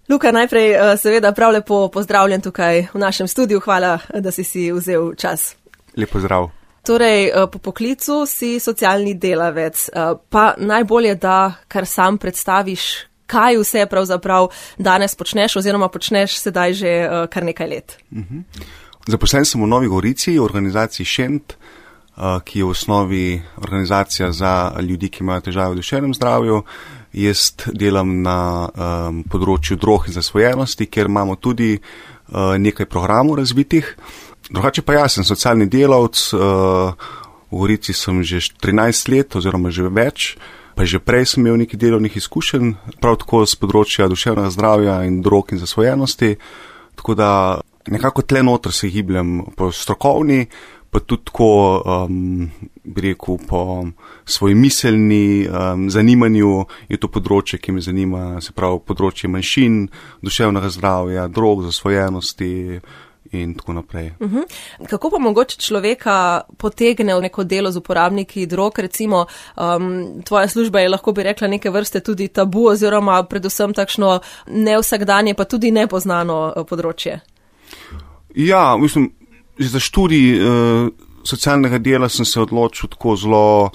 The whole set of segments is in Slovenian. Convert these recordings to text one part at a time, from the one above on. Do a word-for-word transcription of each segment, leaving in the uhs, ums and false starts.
Luka, najprej seveda prav lepo pozdravljen tukaj v našem studiu. Hvala, da si si vzel čas. Lep pozdrav. Torej, po poklicu si socialni delavec, pa najbolje, da kar sam predstaviš, kaj vse pravzaprav danes počneš oziroma počneš sedaj že kar nekaj let. Uh-huh. Zaposlen sem v Novi Gorici, v organizaciji Šent, ki je v osnovi organizacija za ljudi, ki imajo težave v duševnem zdravju. Jaz delam na um, področju drog in zasvojenosti, kjer imamo tudi uh, nekaj programov razvitih. Drugače pa jaz sem socialni delavec, uh, v Gorici sem že trinajst let oziroma že več, pa že prej sem imel nekaj delovnih izkušenj, prav tako z področja duševnega zdravja in drog in zasvojenosti, tako da nekako tle noter se gibljem po strokovni, pa tudi tako, um, bi rekel, po svoji miselni um, zanimanju je to področje, ki me zanima, se pravi področje manjšin, duševnega zdravja, drog, zasvojenosti in tako naprej. Uh-huh. Kako pa mogoče človeka potegne v neko delo z uporabniki drog, recimo um, tvoja služba je, lahko bi rekla, neke vrste tudi tabu oziroma predvsem takšno nevsakdanje, pa tudi nepoznano področje? Ja, mislim, že za študij uh, socialnega dela sem se odločil tako zelo,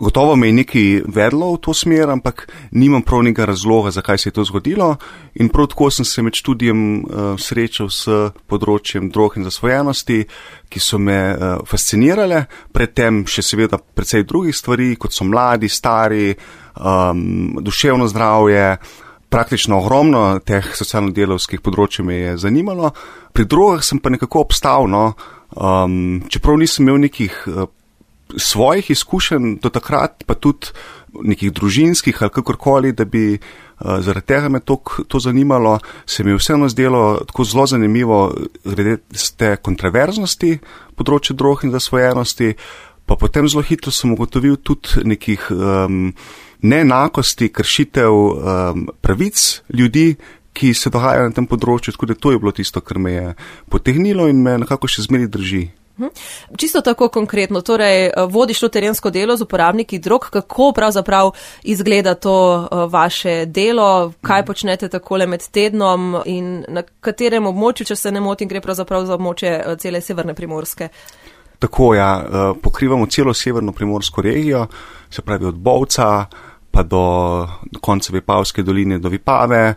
gotovo me je nekaj vedlo v to smer, ampak nimam prav nekega razloga, zakaj se je to zgodilo. In prav tako sem se med študijem uh, srečal s področjem drog in zasvojenosti, ki so me uh, fascinirale, predtem še seveda precej drugih stvari, kot so mladi, stari, um, duševno zdravje. Praktično ogromno teh socialno-delavskih področij me je zanimalo. Pri drogah sem pa nekako obstal, no, um, čeprav nisem imel nekih uh, svojih izkušenj do takrat, pa tudi nekih družinskih ali kakorkoli, da bi uh, zaradi tega me to, to zanimalo, se mi je vseeno zdelo tako zelo zanimivo glede te kontroverznosti področja drog in zasvojenosti, pa potem zelo hitro sem ugotovil tudi nekih um, neenakosti, kršitev um, pravic ljudi, ki se dogajajo na tem področju, tako da to je bilo tisto, kar me je potegnilo in me nekako še zmeraj drži. Čisto tako konkretno, torej vodiš to terensko delo z uporabniki drog, kako pravzaprav izgleda to vaše delo, kaj počnete takole med tednom in na katerem območju, če se ne motim, gre pravzaprav za območje cele severne Primorske? Tako, ja, pokrivamo celo severno primorsko regijo, se pravi od Bovca pa do konca Vipavske doline do Vipave,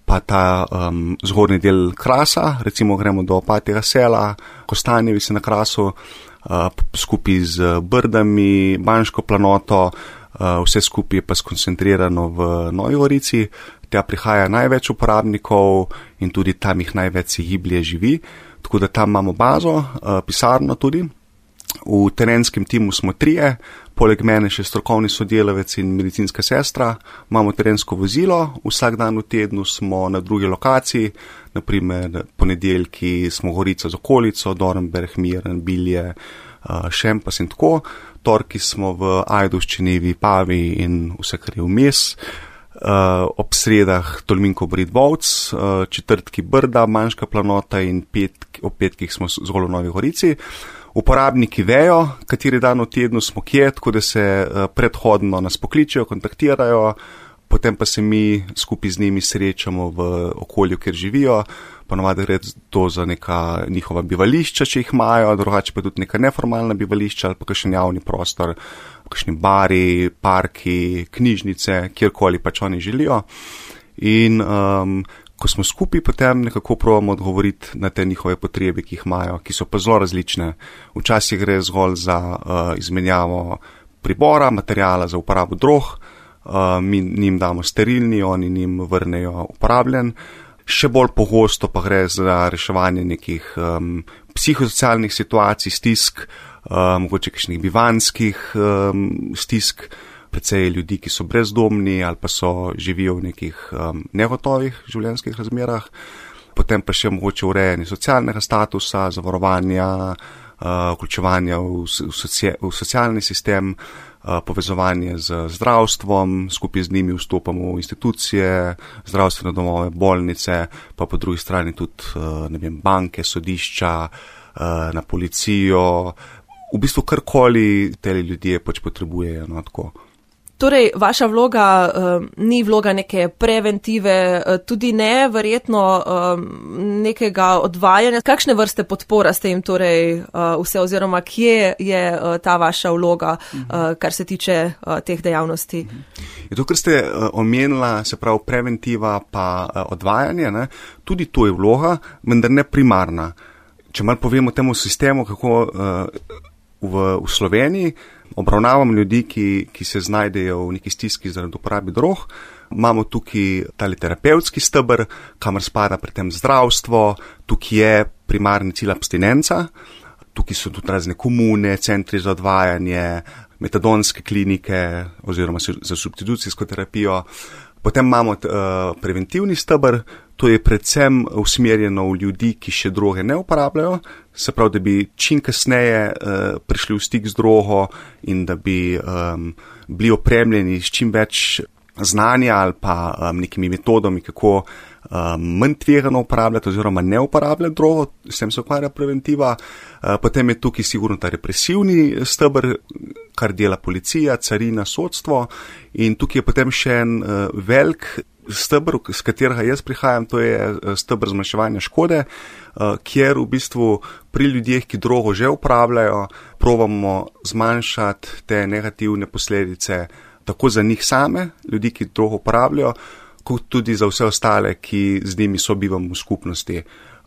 pa ta um, zgornji del Krasa, recimo gremo do Opatjega sela, Kostanjevi se na Krasu, uh, skupaj z Brdami, Banško planoto, uh, vse skupaj je pa skoncentrirano v Novi Gorici. Tja prihaja največ uporabnikov in tudi tam jih največ se giblje živi, tako da tam imamo bazo, uh, pisarno tudi. V terenskem timu smo trije, poleg mene še strokovni sodelavec in medicinska sestra, imamo terensko vozilo, vsak dan v tednu smo na drugi lokaciji, naprimer ponedeljki smo Gorica z okolico, Dornberg, Miren, Bilje, Šempas in tako, torki smo v Ajdovščini, Vipavi in vse, kar je vmes, ob sredah Tolminko Brid Bovc, četrtki Brda, Manjška planota in petk, ob petkih smo zgolj v Novi Gorici. Uporabniki vejo, kateri dan v tednu smo kje, tako da se predhodno nas pokličejo, kontaktirajo, potem pa se mi skupaj z njimi srečamo v okolju, kjer živijo, ponavadi gre to za neka njihova bivališča, če jih imajo, drugače pa tudi neka neformalna bivališča ali pa kakšen javni prostor, kakšni bari, parki, knjižnice, kjerkoli pač oni želijo. In um, ko smo skupaj, potem nekako probamo odgovoriti na te njihove potrebe, ki jih imajo, ki so pa zelo različne. Včasih gre zgolj za uh, izmenjavo pribora, materijala za uporabo drog, uh, mi njim damo sterilni, oni njim vrnejo uporabljen. Še bolj pogosto pa gre za reševanje nekih um, psihosocialnih situacij, stisk, um, mogoče kakšnih bivanskih um, stisk, precej ljudi, ki so brezdomni ali pa so živijo v nekih um, negotovih življenjskih razmerah, potem pa še mogoče urejanje socialnega statusa, zavarovanja, uh, vključevanja v, v, socia, v socialni sistem, uh, povezovanje z zdravstvom, skupaj z njimi vstopamo v institucije, zdravstvene domove, bolnice, pa po drugi strani tudi uh, ne vem, banke, sodišča, uh, na policijo, v bistvu karkoli te ljudje pač potrebujejo, no, tako. Torej, vaša vloga um, ni vloga neke preventive, tudi ne verjetno um, nekega odvajanja. Kakšne vrste podpora ste jim torej uh, vse oziroma kje je uh, ta vaša vloga, uh, kar se tiče uh, teh dejavnosti? Je to, kar ste uh, omenila, se pravi preventiva pa uh, odvajanje, ne? Tudi to je vloga, vendar ne primarna. Če malo povemo temu sistemu, kako uh, v, v Sloveniji obravnavamo ljudi, ki, ki se znajdejo v neki stiski zaradi uporabe drog. Imamo tukaj tali terapevtski steber, kamor spada pri tem zdravstvo, tukaj je primarni cilj abstinenca, tukaj so tudi razne komune, centri za odvajanje, metadonske klinike oziroma za substitucijsko terapijo. Potem imamo uh, preventivni steber, to je predvsem usmerjeno v ljudi, ki še droge ne uporabljajo, se pravi, da bi čim kasneje uh, prišli v stik z drogo in da bi um, bili opremljeni s čim več znanja ali pa um, nekimi metodami, kako um, manj tvegano uporabljati oziroma ne uporabljati drogo, s tem se ukvarja preventiva. Uh, potem je tukaj sigurno ta represivni steber, kar dela policija, carina, sodstvo in tukaj je potem še en uh, velik steber, z katerega jaz prihajam, to je steber zmanjševanja škode, uh, kjer v bistvu pri ljudeh, ki drogo že uporabljajo, probamo zmanjšati te negativne posledice tako za njih same, ljudi, ki drogo uporabljajo, kot tudi za vse ostale, ki z njimi sobivamo v skupnosti.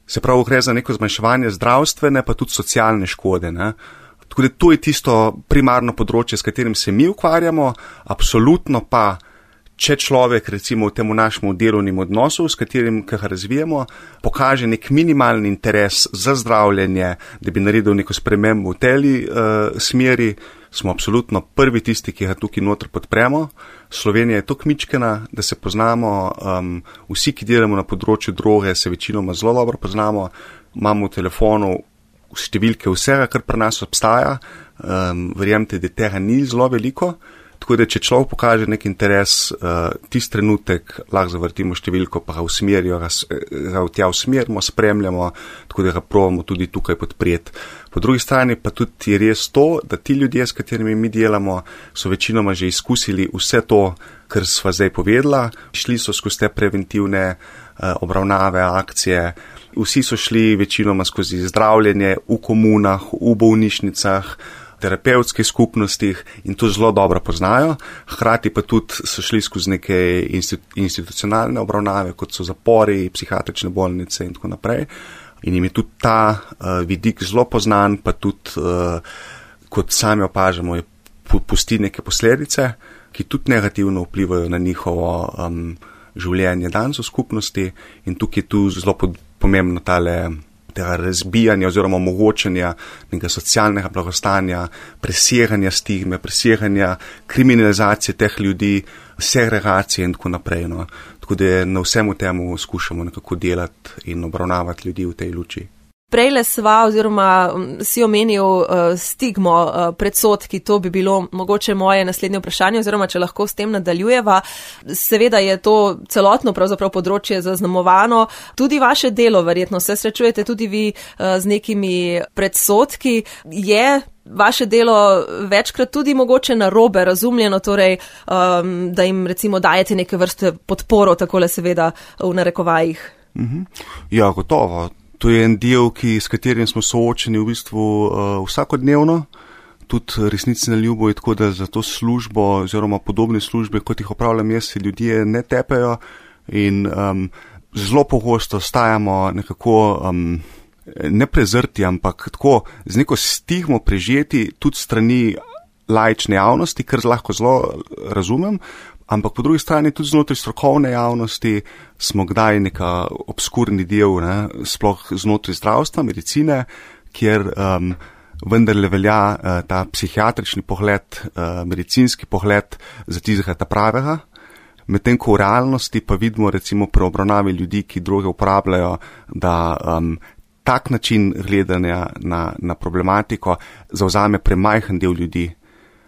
Se pravi, gre za neko zmanjševanje zdravstvene, pa tudi socialne škode, ne? Tako da to je tisto primarno področje, s katerim se mi ukvarjamo, absolutno pa, če človek recimo v temu našemu delovnim odnosu, s katerim ga razvijamo, pokaže nek minimalni interes za zdravljenje, da bi naredil neko spremembo v tej uh, smeri, smo absolutno prvi tisti, ki ga tukaj noter podpremo. Slovenija je tako mičkena, da se poznamo, um, vsi, ki delamo na področju droge, se večinoma zelo dobro poznamo, imamo v telefonu številke vsega, kar pri nas obstaja, um, verjemite, da tega ni zelo veliko, tako da če človek pokaže nek interes, uh, tisti trenutek lahko zavrtimo številko, pa ga usmerijo, ga, ga v tja usmerimo, spremljamo, tako da ga probamo tudi tukaj podpreti. Po drugi strani pa tudi je res to, da ti ljudje, s katerimi mi delamo, so večinoma že izkusili vse to, kar sva zdaj povedala, šli so skozi te preventivne uh, obravnave, akcije, vsi so šli večinoma skozi zdravljenje v komunah, v bolnišnicah, terapevtskih skupnostih in to zelo dobro poznajo. Hkrati pa tudi so šli skozi neke institucionalne obravnave, kot so zapori, psihiatrične bolnice in tako naprej. In jim je tudi ta uh, vidik zelo poznan, pa tudi, uh, kot sami opažamo, je pusti neke posledice, ki tudi negativno vplivajo na njihovo um, življenje danes v skupnosti in tukaj je tu zelo pomembno tale tega razbijanja oziroma omogočanja nekega socialnega blagostanja, preseganja stigme, preseganja kriminalizacije teh ljudi, segregacije in tako naprej. No. Tako da na vsemu temu skušamo nekako delati in obravnavati ljudi v tej luči. Prejle sva oziroma si omenil uh, stigmo, uh, predsodki, to bi bilo mogoče moje naslednje vprašanje oziroma če lahko s tem nadaljujeva. Seveda je to celotno pravzaprav področje zaznamovano, tudi vaše delo verjetno se srečujete tudi vi uh, z nekimi predsodki. Je vaše delo večkrat tudi mogoče narobe razumljeno, torej um, da jim recimo dajete neke vrste podporo, takole seveda v narekovajih? Mhm. Ja, gotovo. To je en del, ki, s katerim smo soočeni v bistvu uh, vsakodnevno. Tudi resnici na ljubo je tako, da za to službo oziroma podobne službe, kot jih opravljam jaz, se ljudje ne tepejo in um, zelo pogosto stajamo nekako um, ne prezrti, ampak tako z neko stigmo prežeti tudi strani laične javnosti, kar lahko zelo razumem. Ampak po drugi strani tudi znotraj strokovne javnosti smo kdaj neka obskurni del, ne, sploh znotraj zdravstva, medicine, kjer um, vendarle velja uh, ta psihiatrični pogled, uh, medicinski pogled za tistega ta pravega. Medtem ko v realnosti pa vidimo recimo pri obravnavi ljudi, ki droge uporabljajo, da um, tak način gledanja na, na problematiko zavzame premajhen del ljudi.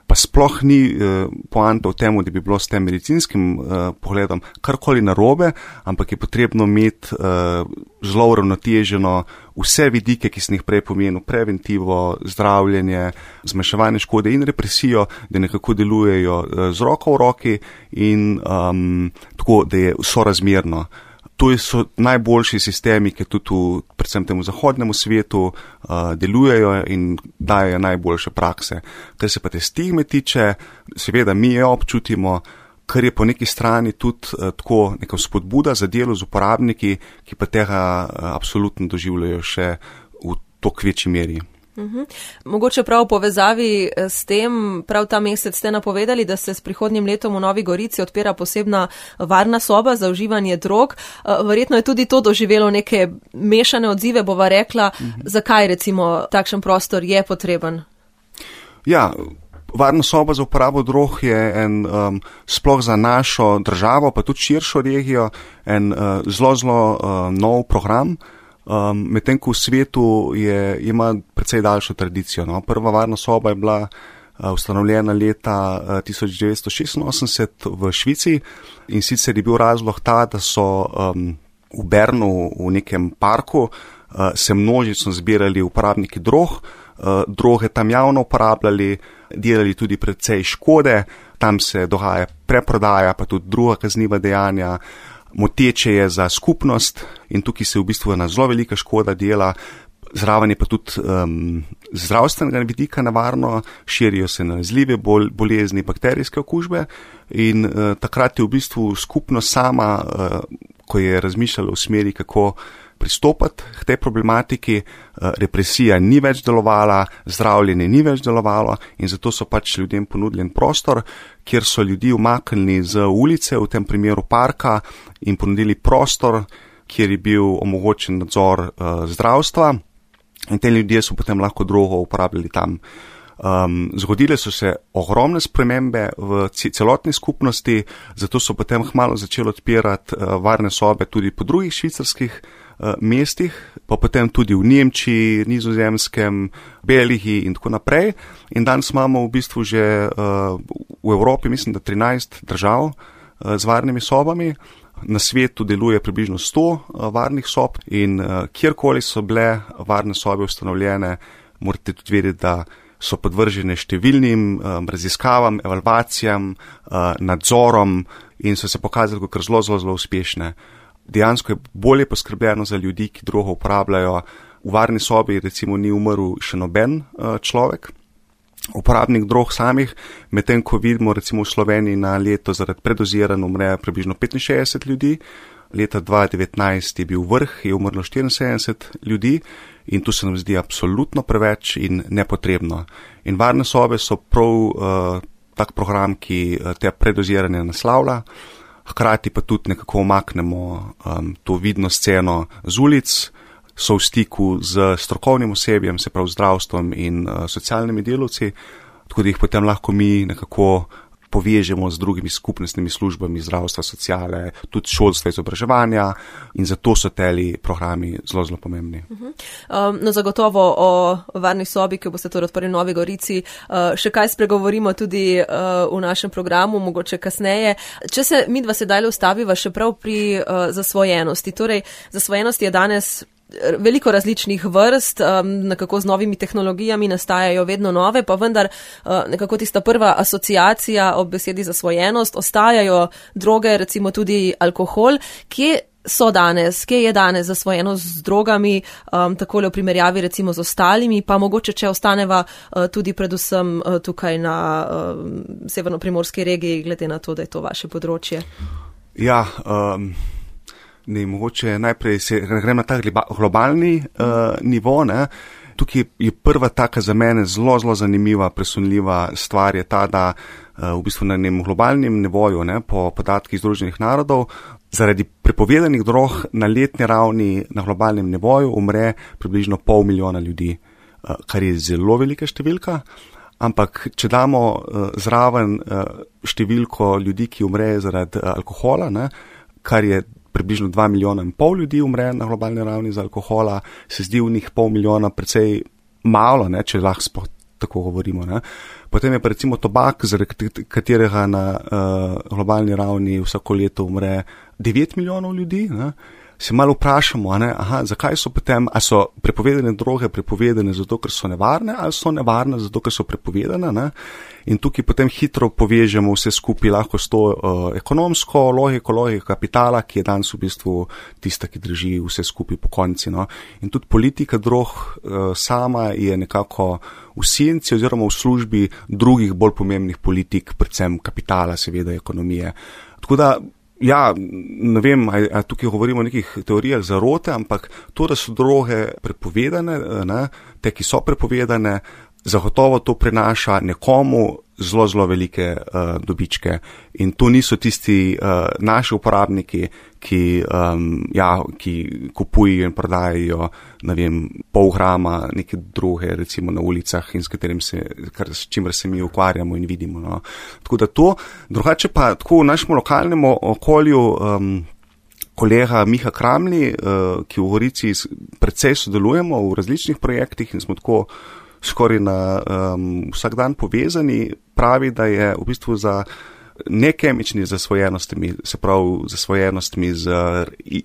pa sploh ni uh, poanta v tem, da bi bilo s tem medicinskim uh, pogledom karkoli narobe, ampak je potrebno imeti uh, zelo uravnoteženo vse vidike, ki sem jih prej pomenil, preventivo, zdravljenje, zmanjševanje škode in represijo, da nekako delujejo uh, z roko v roki in um, tako, da je sorazmerno. To so najboljši sistemi, ki tudi v predvsem temu zahodnemu svetu uh, delujejo in dajo najboljše prakse. Kar se pa te stigme tiče, seveda mi jo občutimo, kar je po neki strani tudi uh, tako neka spodbuda za delo z uporabniki, ki pa tega uh, absolutno doživljajo še v toliko večji meri. Uhum. Mogoče prav v povezavi s tem, prav ta mesec ste napovedali, da se s prihodnjim letom v Novi Gorici odpira posebna varna soba za uživanje drog. Verjetno je tudi to doživelo neke mešane odzive, bova rekla, uhum. Zakaj recimo takšen prostor je potreben? Ja, varna soba za uporabo drog je en, um, sploh za našo državo, pa tudi širšo regijo, en uh, zelo, zelo uh, nov program. Um, medtem ko v svetu je, ima precej daljšo tradicijo. No. Prva varna soba je bila uh, ustanovljena leta uh, tisoč devetsto šestinosemdeset v Švici in sicer je bil razlog ta, da so um, v Bernu v nekem parku uh, se množično zbirali uporabniki drog, uh, droge tam javno uporabljali, delali tudi precej škode, tam se dogaja preprodaja, pa tudi druga kazniva dejanja. Moteče je za skupnost in tukaj se v bistvu ena zelo velika škoda dela, zraven je pa tudi um, zdravstvenega vidika nevarno, širijo se nalezljive bol, bolezni, bakterijske okužbe in uh, takrat je v bistvu skupnost sama, uh, ko je razmišljala v smeri, kako pristopati k tej problematiki, represija ni več delovala, zdravljenje ni več delovalo in zato so pač ljudem ponudili prostor, kjer so ljudi umaknili z ulice, v tem primeru parka, in ponudili prostor, kjer je bil omogočen nadzor uh, zdravstva in te ljudje so potem lahko drogo uporabljali tam. Um, zgodile so se ogromne spremembe v celotni skupnosti, zato so potem hmalo začeli odpirati uh, varne sobe tudi po drugih švicarskih uh, mestih, pa potem tudi v Nemčiji, Nizozemskem, Belgiji in tako naprej. In danes imamo v bistvu že uh, v Evropi, mislim, da trinajst držav uh, z varnimi sobami. Na svetu deluje približno sto uh, varnih sob in uh, kjerkoli so bile varne sobe ustanovljene, morate tudi vedeti, da so podvržene številnim um, raziskavam, evalvacijam, uh, nadzorom in so se pokazali kot zelo, zelo, zelo uspešne. Dejansko je bolje poskrbljeno za ljudi, ki drogo uporabljajo. V varni sobi recimo ni umrl še noben uh, človek, uporabnik drog samih, medtem ko vidimo recimo v Sloveniji na leto zaradi predoziranj umre približno petinšestdeset ljudi. Leta dva tisoč devetnajst je bil vrh, je umrlo štiriinsedemdeset ljudi in tu se nam zdi absolutno preveč in nepotrebno. In varne sobe so prav uh, tak program, ki uh, te predoziranje naslavlja, hkrati pa tudi nekako omaknemo um, to vidno sceno z ulic, so v stiku z strokovnim osebjem, se prav zdravstvom in uh, socialnimi delavci, tako da jih potem lahko mi nekako povežemo z drugimi skupnostnimi službami zdravstva, sociale, tudi šolstva, izobraževanja in zato so teli programi zelo, zelo pomembni. Uh-huh. Um, no, zagotovo o varni sobi, ki boste torej odprli v Novi Gorici, uh, še kaj spregovorimo tudi uh, v našem programu, mogoče kasneje. Če se midva sedaj ustaviva še prav pri uh, zasvojenosti. Torej, zasvojenost je danes veliko različnih vrst, um, nekako z novimi tehnologijami nastajajo vedno nove, pa vendar uh, nekako tista prva asociacija ob besedi zasvojenost, ostajajo droge, recimo tudi alkohol. Kje so danes, kje je danes zasvojenost z drogami, um, takole v primerjavi recimo z ostalimi, pa mogoče, če ostaneva uh, tudi predvsem uh, tukaj na uh, severnoprimorski regiji, glede na to, da je to vaše področje? Ja, um... Ne, mogoče najprej se grem na ta globalni uh, nivo. Ne. Tukaj je prva taka za mene zelo, zelo zanimiva, presunljiva stvar je ta, da uh, v bistvu na enem globalnem nivoju, ne, po podatkih Združenih narodov, zaradi prepovedanih drog na letni ravni na globalnem nivoju umre približno pol milijona ljudi, uh, kar je zelo velika številka. Ampak, če damo uh, zraven uh, številko ljudi, ki umre zaradi uh, alkohola, ne, kar je približno dva milijona in pol ljudi umre na globalni ravni za alkohola, se zdi v njih pol milijona precej malo, ne, če lahko tako govorimo. Ne. Potem je pa recimo tobak, zaradi katerega na uh, globalni ravni vsako leto umre devet milijonov ljudi, ne. Se malo vprašamo, ne, aha, zakaj so potem, a so prepovedane droge prepovedane zato, ker so nevarne, ali so nevarne zato, ker so prepovedane, ne. In tukaj potem hitro povežemo vse skupaj lahko s to uh, ekonomsko logiko, logiko kapitala, ki je danes v bistvu tista, ki drži vse skupaj po konci. No. In tudi politika drog uh, sama je nekako v senci oziroma v službi drugih bolj pomembnih politik, predvsem kapitala, seveda ekonomije. Tako da, ja, ne vem, a, a tukaj govorimo o nekih teorijah zarote, ampak to, da so droge prepovedane, ne, te, ki so prepovedane, zagotovo to prinaša nekomu zelo, zelo velike uh, dobičke. In to niso tisti uh, naši uporabniki, ki, um, ja, ki kupujejo in prodajajo, ne vem, pol grama neke droge, recimo na ulicah in s katerim se, kar, s čimer se mi ukvarjamo in vidimo. No. Tako da to, drugače pa tako v našem lokalnem okolju, um, kolega Miha Kramli, uh, ki v Gorici precej sodelujemo v različnih projektih in smo tako skoraj na um, vsak dan povezani, pravi, da je v bistvu za nekemični zasvojenostmi, se pravi zasvojenostmi z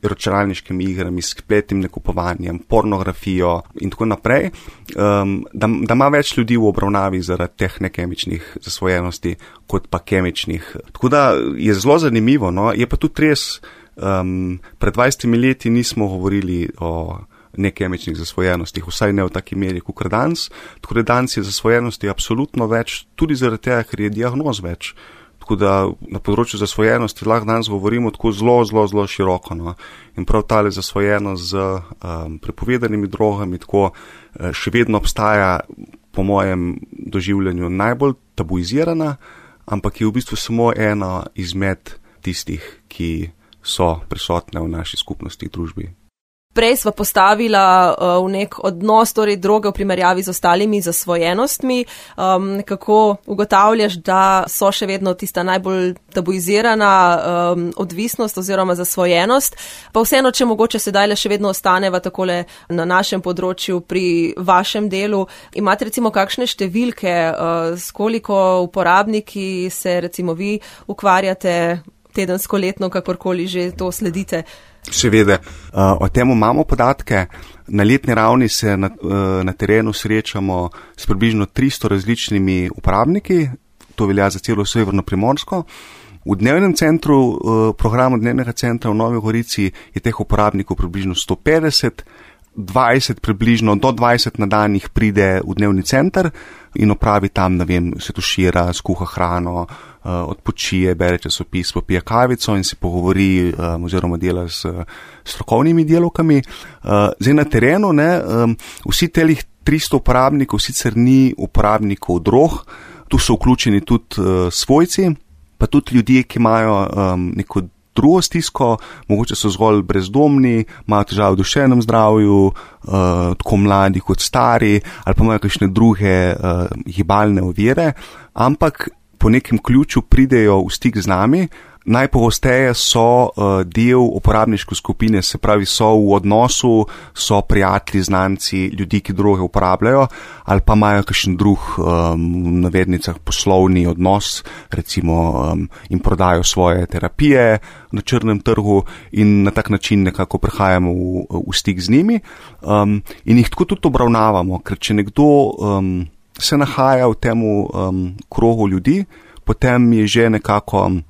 računalniškimi igrami, s spletnim nakupovanjem, pornografijo in tako naprej, um, da, da ima več ljudi v obravnavi zaradi teh nekemičnih zasvojenosti kot pa kemičnih. Tako da je zelo zanimivo, no, je pa tudi res, um, pred dvajsetimi leti nismo govorili o nekemičnih zasvojenostih, vsaj ne v taki meri, kot danes. Tako da danes je zasvojenosti absolutno več, tudi zaradi tega, ker je diagnoz več. Tako da na področju zasvojenosti lahko danes govorimo tako zelo, zelo, zelo široko. No. In prav tale zasvojenost z um, prepovedanimi drogami tako uh, še vedno obstaja, po mojem doživljanju, najbolj tabuizirana, ampak je v bistvu samo ena izmed tistih, ki so prisotne v naši skupnosti, družbi. Prej sva postavila uh, v nek odnos, torej droge v primerjavi z ostalimi zasvojenostmi. Um, kako ugotavljaš, da so še vedno tista najbolj tabuizirana um, odvisnost oziroma zasvojenost? Pa vseeno, če mogoče sedaj le še vedno ostaneva takole na našem področju pri vašem delu, imate recimo kakšne številke, uh, s koliko uporabniki se recimo vi ukvarjate tedensko, letno, kakorkoli že to sledite? Seveda, o tem imamo podatke. Na letni ravni se na, na terenu srečamo s približno tristo različnimi uporabniki, to velja za celo severno Primorsko. V dnevnem centru, programu dnevnega centra v Novi Gorici je teh uporabnikov približno sto petdeset, dvajset približno, do dvajset na dan jih pride v dnevni center in opravi tam, ne vem, se tušira, skuha hrano, odpočije, bere časopis, popije kavico in se pogovori um, oziroma dela s strokovnimi delavkami. Uh, zdaj na terenu, ne, um, vsi telih tristo uporabnikov sicer ni uporabnikov drog, tu so vključeni tudi uh, svojci, pa tudi ljudje, ki imajo um, neko drugo stisko, mogoče so zgolj brezdomni, imajo težave v duševnem zdravju, uh, tako mladi kot stari, ali pa imajo kakšne druge uh, gibalne ovire, ampak po nekem ključu pridejo v stik z nami. Najpogosteje so uh, del uporabniške skupine, se pravi so v odnosu, so prijatelji, znanci, ljudi, ki droge uporabljajo, ali pa imajo kakšen drug um, v navednicah poslovni odnos, recimo um, in prodajo svoje terapije na črnem trgu in na tak način nekako prihajamo v, v stik z njimi um, in jih tako tudi obravnavamo, ker če nekdo um, se nahaja v temu um, krogu ljudi, potem je že nekako um,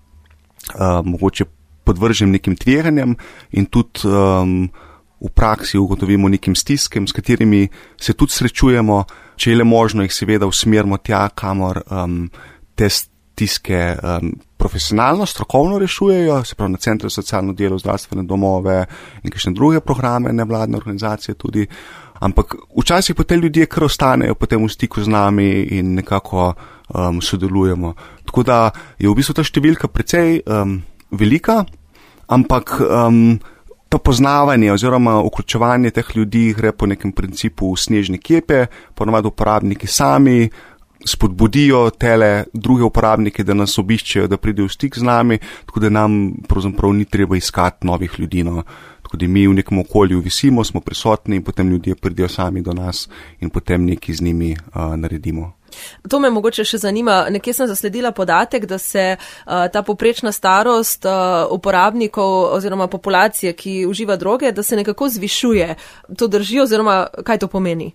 mogoče podvržen nekim tveganjem in tudi um, v praksi ugotovimo nekim stiskem, s katerimi se tudi srečujemo, če je le možno jih seveda usmerimo tja, kamor um, te stiske um, profesionalno, strokovno rešujejo, se pravi na centre za socialno delo, zdravstvene domove in kakšne druge programe, nevladne organizacije tudi. Ampak včasih pa te ljudje kar ostanejo potem v stiku z nami in nekako um, sodelujemo. Tako da je v bistvu ta številka precej um, velika, ampak um, to poznavanje oziroma vključevanje teh ljudi gre po nekem principu snežne kepe, ponavadi uporabniki sami spodbudijo tele druge uporabnike, da nas obiščejo, da pridejo v stik z nami, tako da nam pravzaprav ni treba iskati novih ljudi. No. Tako da mi v nekem okolju visimo, smo prisotni in potem ljudje pridejo sami do nas in potem nekaj z njimi uh, naredimo. To me mogoče še zanima. Nekje sem zasledila podatek, da se uh, ta poprečna starost uh, uporabnikov oziroma populacije, ki uživa droge, da se nekako zvišuje. To drži oziroma kaj to pomeni?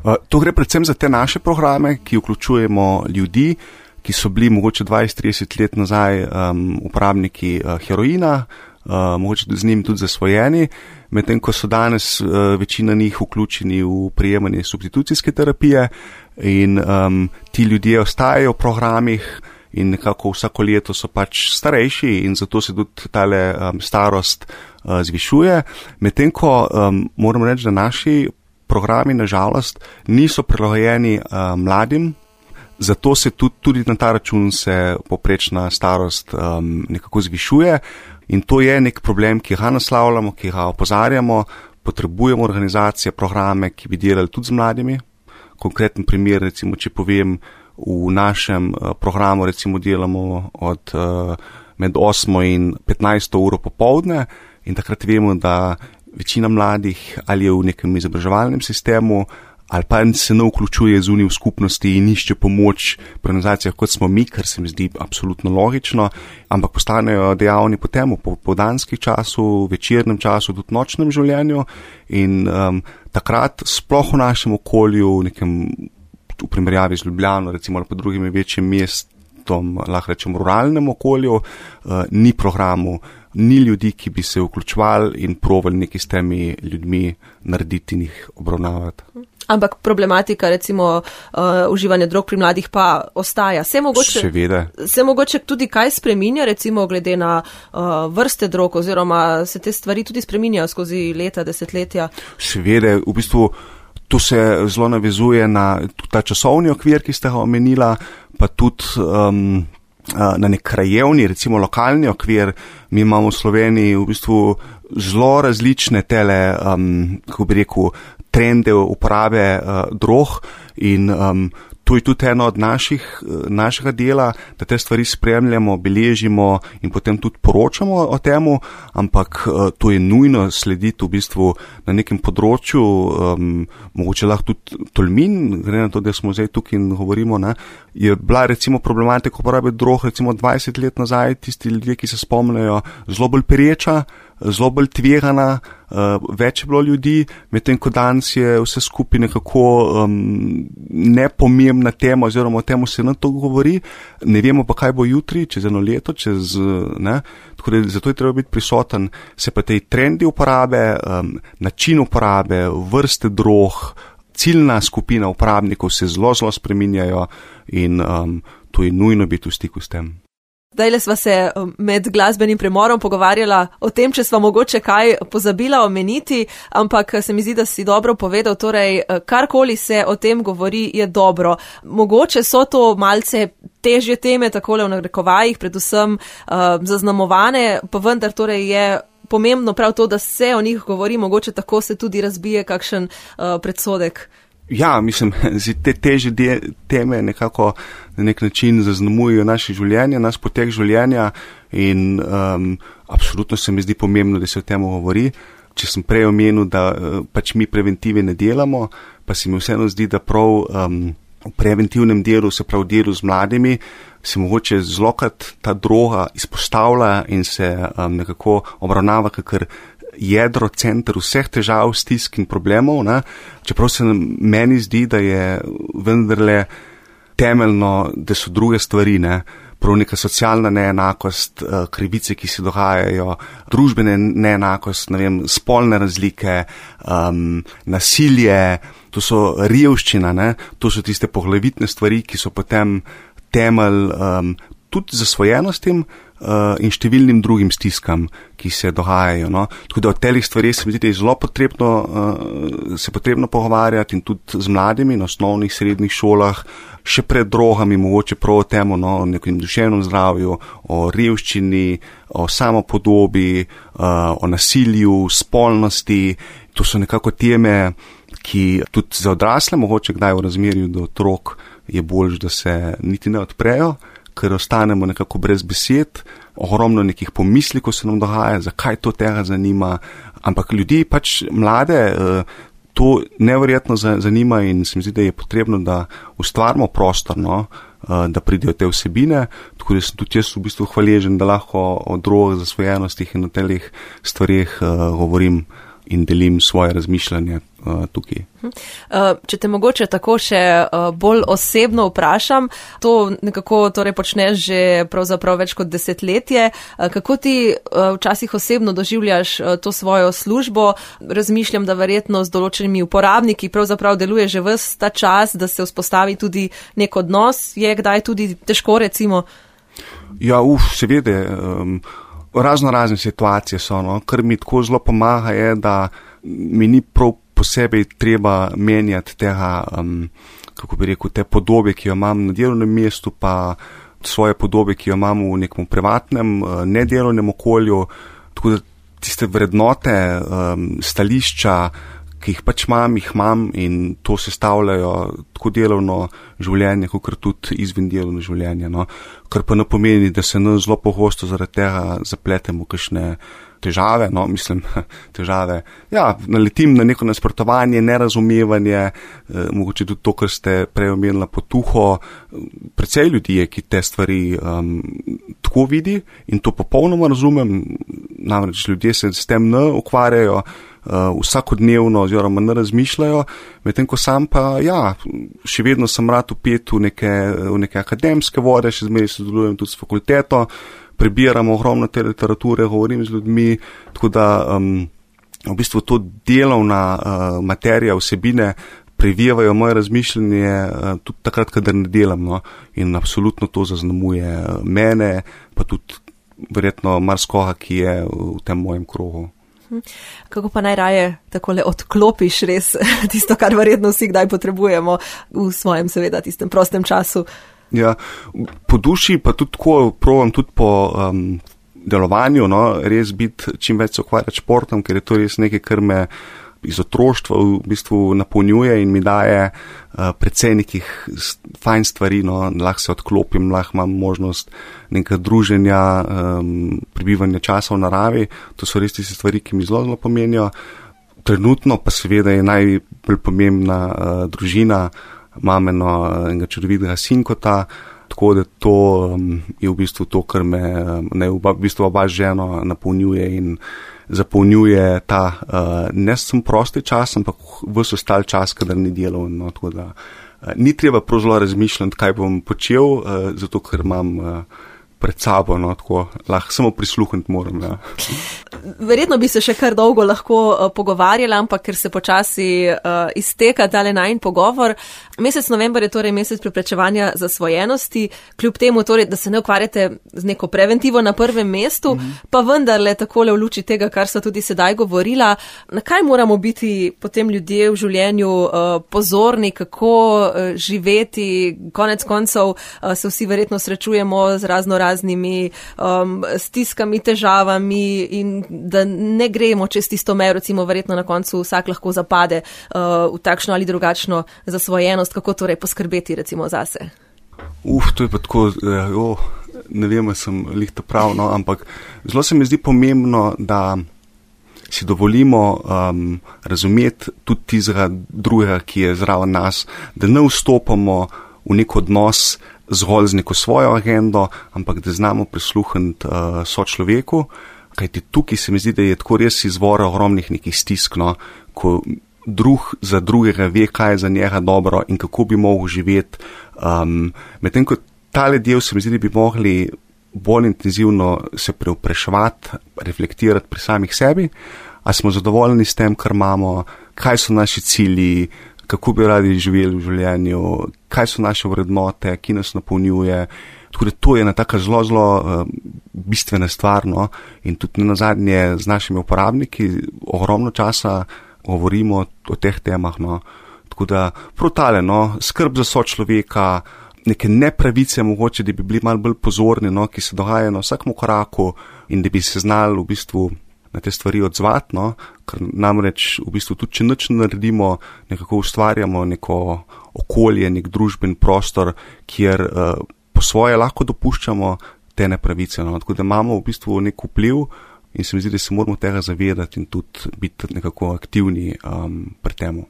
Uh, to gre predvsem za te naše programe, ki vključujemo ljudi, ki so bili mogoče dvajset trideset let nazaj um, uporabniki uh, heroina, uh, mogoče z njim tudi zasvojeni, medtem ko so danes uh, večina njih vključeni v prijemanje substitucijske terapije in um, ti ljudje ostajajo v programih in nekako vsako leto so pač starejši in zato se tudi tale um, starost uh, zvišuje, medtem ko um, moram reči, da naši programi nažalost niso prilagojeni uh, mladim. Zato se tudi, tudi na ta račun se poprečna starost um, nekako zvišuje in to je nek problem, ki ga naslavljamo, ki ga opozarjamo, potrebujemo organizacije, programe, ki bi delali tudi z mladimi. Konkreten primer, recimo, če povem, v našem uh, programu recimo delamo od uh, med osmo in petnajsto uro popoldne in takrat vemo, da večina mladih ali je v nekem izobraževalnem sistemu ali pa se ne vključuje zunaj v skupnosti in išče pomoč pri organizacijah, kot smo mi, kar se mi zdi absolutno logično, ampak postanejo dejavni potem v popoldanskih času, večernem času, tudi nočnem življenju in um, takrat sploh v našem okolju, v nekem v primerjavi z Ljubljano, recimo ali pa drugimi večjim mestom, lahko rečem ruralnem okolju, uh, ni programu, ni ljudi, ki bi se vključevali in provali nekaj s temi ljudmi narediti in jih obravnavati. Ampak problematika, recimo, uh, uživanja drog pri mladih pa ostaja. Se mogoče, se mogoče tudi kaj spreminja, recimo, glede na uh, vrste drog, oziroma se te stvari tudi spreminjajo skozi leta, desetletja? Seveda, v bistvu to se zelo navezuje na ta časovni okvir, ki ste ga omenila, pa tudi um, na nek krajevni, recimo lokalni okvir. Mi imamo v Sloveniji v bistvu zelo različne tele, um, kako bi rekel, trende uporabe uh, drog in um, to je tudi eno od naših, našega dela, da te stvari spremljamo, beležimo in potem tudi poročamo o temu, ampak uh, to je nujno slediti v bistvu na nekem področju, um, mogoče lahko tudi Tolmin, gre na to, da smo zdaj tukaj in govorimo, ne, je bila recimo problematika uporabe drog recimo dvajset let nazaj, tisti ljudje, ki se spomnijo, zelo bolj pereča, zelo bolj tvegana, uh, več je bilo ljudi, medtem ko danes je vse skupaj nekako um, nepomembna tema, oziroma o temu se na to govori, ne vemo pa, kaj bo jutri, čez eno leto, čez, ne, tako da zato je treba biti prisoten, se pa tej trendi uporabe, um, način uporabe, vrste drog, ciljna skupina uporabnikov se zelo, zelo spreminjajo in um, to je nujno biti v stiku s tem. Zdajle sva se med glasbenim premorom pogovarjala o tem, če sva mogoče kaj pozabila omeniti, ampak se mi zdi, da si dobro povedal, torej karkoli se o tem govori, je dobro. Mogoče so to malce težje teme, takole v narekovajih, predvsem uh, zaznamovane, pa vendar torej je pomembno prav to, da se o njih govori, mogoče tako se tudi razbije kakšen uh, predsodek. Ja, mislim, te težje de, teme nekako na nek način zaznamujejo naše življenje, naš potek življenja in um, absolutno se mi zdi pomembno, da se o tem govori. Če sem prej omenil, da uh, pač mi preventive ne delamo, pa se mi vseeno zdi, da prav um, v preventivnem delu, se prav delu z mladimi, se mogoče zlokrat ta droga izpostavlja in se um, nekako obravnava kakor jedro, center vseh težav, stisk in problemov, ne? Čeprav se meni zdi, da je vendarle temeljno, da so druge stvari, ne? Prav neka socialna neenakost, krivice, ki se dogajajo, družbene neenakost, ne vem, spolne razlike, um, nasilje, to so revščina, ne? To so tiste poglavitne stvari, ki so potem temelj um, tudi zasvojenostim uh, in številnim drugim stiskam, ki se dogajajo. No? Tako da o telih stvarih se mi zdi, da je zelo potrebno, uh, se potrebno pogovarjati in tudi z mladimi na osnovnih, srednjih šolah, še pred drogami, mogoče prav o temu, no, o nekem duševnem zdravju, o revščini, o samopodobi, uh, o nasilju, spolnosti. To so nekako teme, ki tudi za odrasle, mogoče kdaj v razmerju do otrok, je bolj, da se niti ne odprejo, ker ostanemo nekako brez besed, ogromno nekih pomislikov se nam dogaja, zakaj to tega zanima, ampak ljudi pač mlade to neverjetno zanima in se mi zdi, da je potrebno, da ustvarimo prostor, no, da pridejo te vsebine, tako da sem tudi jaz v bistvu hvaležen, da lahko o drogah, zasvojenostih in o telih stvarih govorim in delim svoje razmišljanje uh, tukaj. Uh, če te mogoče tako še uh, bolj osebno vprašam, to nekako torej počneš že pravzaprav več kot desetletje. Uh, kako ti uh, včasih osebno doživljaš uh, to svojo službo? Razmišljam, da verjetno z določenimi uporabniki pravzaprav deluje že ves ta čas, da se vzpostavi tudi nek odnos. Je kdaj tudi težko, recimo? Ja, uf, seveda. Um, Razno razne situacije so, no. Kar mi tako zelo pomaga je, da mi ni prav posebej treba menjati tega, um, kako bi rekel, te podobe, ki jo imam na delovnem mestu, pa svoje podobe, ki jo imam v nekem privatnem, nedelovnem okolju, tako da tiste vrednote, um, stališča, ki jih pač imam, jih imam in to sestavljajo tako delovno življenje, kot tudi izven delovno življenje. No. Kar pa ne pomeni, da se nam zelo pogosto zaradi tega zapletemo kakšne težave, no, mislim, težave. Ja, naletim na neko nasprotovanje, nerazumevanje, eh, mogoče tudi to, kar ste prej omenila potuho. Precej ljudi je, ki te stvari um, tako vidi in to popolnoma razumem, namreč ljudje se s tem ne ukvarjajo, Uh, vsakodnevno oziroma ne razmišljajo, medtem ko sam pa, ja, še vedno sem rad vpet v neke, v neke akademske vode, še zmeraj sodelujem tudi s fakulteto, prebiram ogromno te literature, govorim z ljudmi, tako da um, v bistvu to delovna uh, materija, vsebine previjevajo moje razmišljanje uh, tudi takrat, kadar ne delam, no, in absolutno to zaznamuje mene, pa tudi verjetno marskoga, ki je v tem mojem krogu. Kako pa najraje takole odklopiš res tisto, kar verjetno vsi kdaj potrebujemo v svojem, seveda, tistem prostem času? Ja, po duši pa tudi tako provam tudi po um, delovanju, no, res biti čim več se ukvarjati športom, ker je to res nekaj, kar me iz otroštva v bistvu napolnjuje in mi daje uh, precej nekih fajn stvari, no, lahko se odklopim, lahko imam možnost nekaj druženja, um, prebivanja časa v naravi, to so res tiste stvari, ki mi zelo, zelo pomenijo. Trenutno pa seveda je najbolj pomembna uh, družina, imam eno enega čudovitega sinkota, tako da to um, je v bistvu to, kar me um, ne, v bistvu oba ženo napolnjuje in zapolnjuje ta uh, ne sem prosti čas, ampak ves ostal čas, kadar ni delal. No, tako da uh, ni treba prav zelo razmišljati, kaj bom počel, uh, zato ker imam uh, pred sabo, no, tako lahko samo prisluhniti moram. Ja. Verjetno bi se še kar dolgo lahko uh, pogovarjala, ampak ker se počasi uh, izteka tale najin pogovor. Mesec november je torej mesec preprečevanja zasvojenosti, kljub temu torej, da se ne ukvarjate z neko preventivo na prvem mestu, mm-hmm. pa vendarle takole v luči tega, kar so tudi sedaj govorila, na kaj moramo biti potem ljudje v življenju uh, pozorni, kako uh, živeti, konec koncev uh, se vsi verjetno srečujemo z razno raznimi um, stiskami, težavami in da ne gremo čez tisto mejo, recimo verjetno na koncu vsak lahko zapade uh, v takšno ali drugačno zasvojenost. Kako torej poskrbeti recimo zase? Uf, to je pa tako, jo, ne vem, sem lih to prav, no, ampak zelo se mi zdi pomembno, da si dovolimo um, razumeti tudi tistega drugega, ki je zraven nas, da ne vstopamo v nek odnos zgolj z neko svojo agendo, ampak da znamo prisluhniti uh, sočloveku, kajti tukaj se mi zdi, da je tako res izvor ogromnih nekih stisk, no, ko drug za drugega ve, kaj je za njega dobro in kako bi mogel živeti. Um, medtem ko tale del se mi zdi, da bi mogli bolj intenzivno se preupraševati, reflektirati pri samih sebi, a smo zadovoljni s tem, kar imamo, kaj so naši cilji, kako bi radi živeli v življenju, kaj so naše vrednote, ki nas napolnjuje. Tako da to je ena taka zelo, zelo uh, bistvena stvar, no, in tudi nazadnje z našimi uporabniki ogromno časa govorimo o teh temah, no. Tako da protale, no, skrb za sočloveka, neke nepravice mogoče, da bi bili malo bolj pozorni, no, ki se dogajajo na vsakem koraku in da bi se znali v bistvu na te stvari odzvati, no, ker namreč v bistvu tudi, če nič naredimo, nekako ustvarjamo neko okolje, nek družben prostor, kjer uh, po svoje lahko dopuščamo te nepravice, no. Tako da imamo v bistvu nek vpliv in se mi zdi, da se moramo tega zavedati in tudi biti nekako aktivni um, pri temu.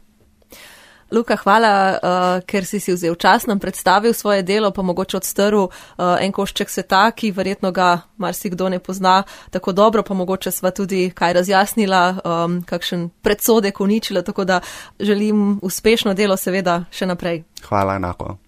Luka, hvala, uh, ker si si vzel čas, nam predstavil svoje delo, pa mogoče odstrl uh, en košček sveta, ki verjetno ga marsikdo ne pozna tako dobro, pa mogoče sva tudi kaj razjasnila, um, kakšen predsodek uničila, tako da želim uspešno delo seveda še naprej. Hvala, enako.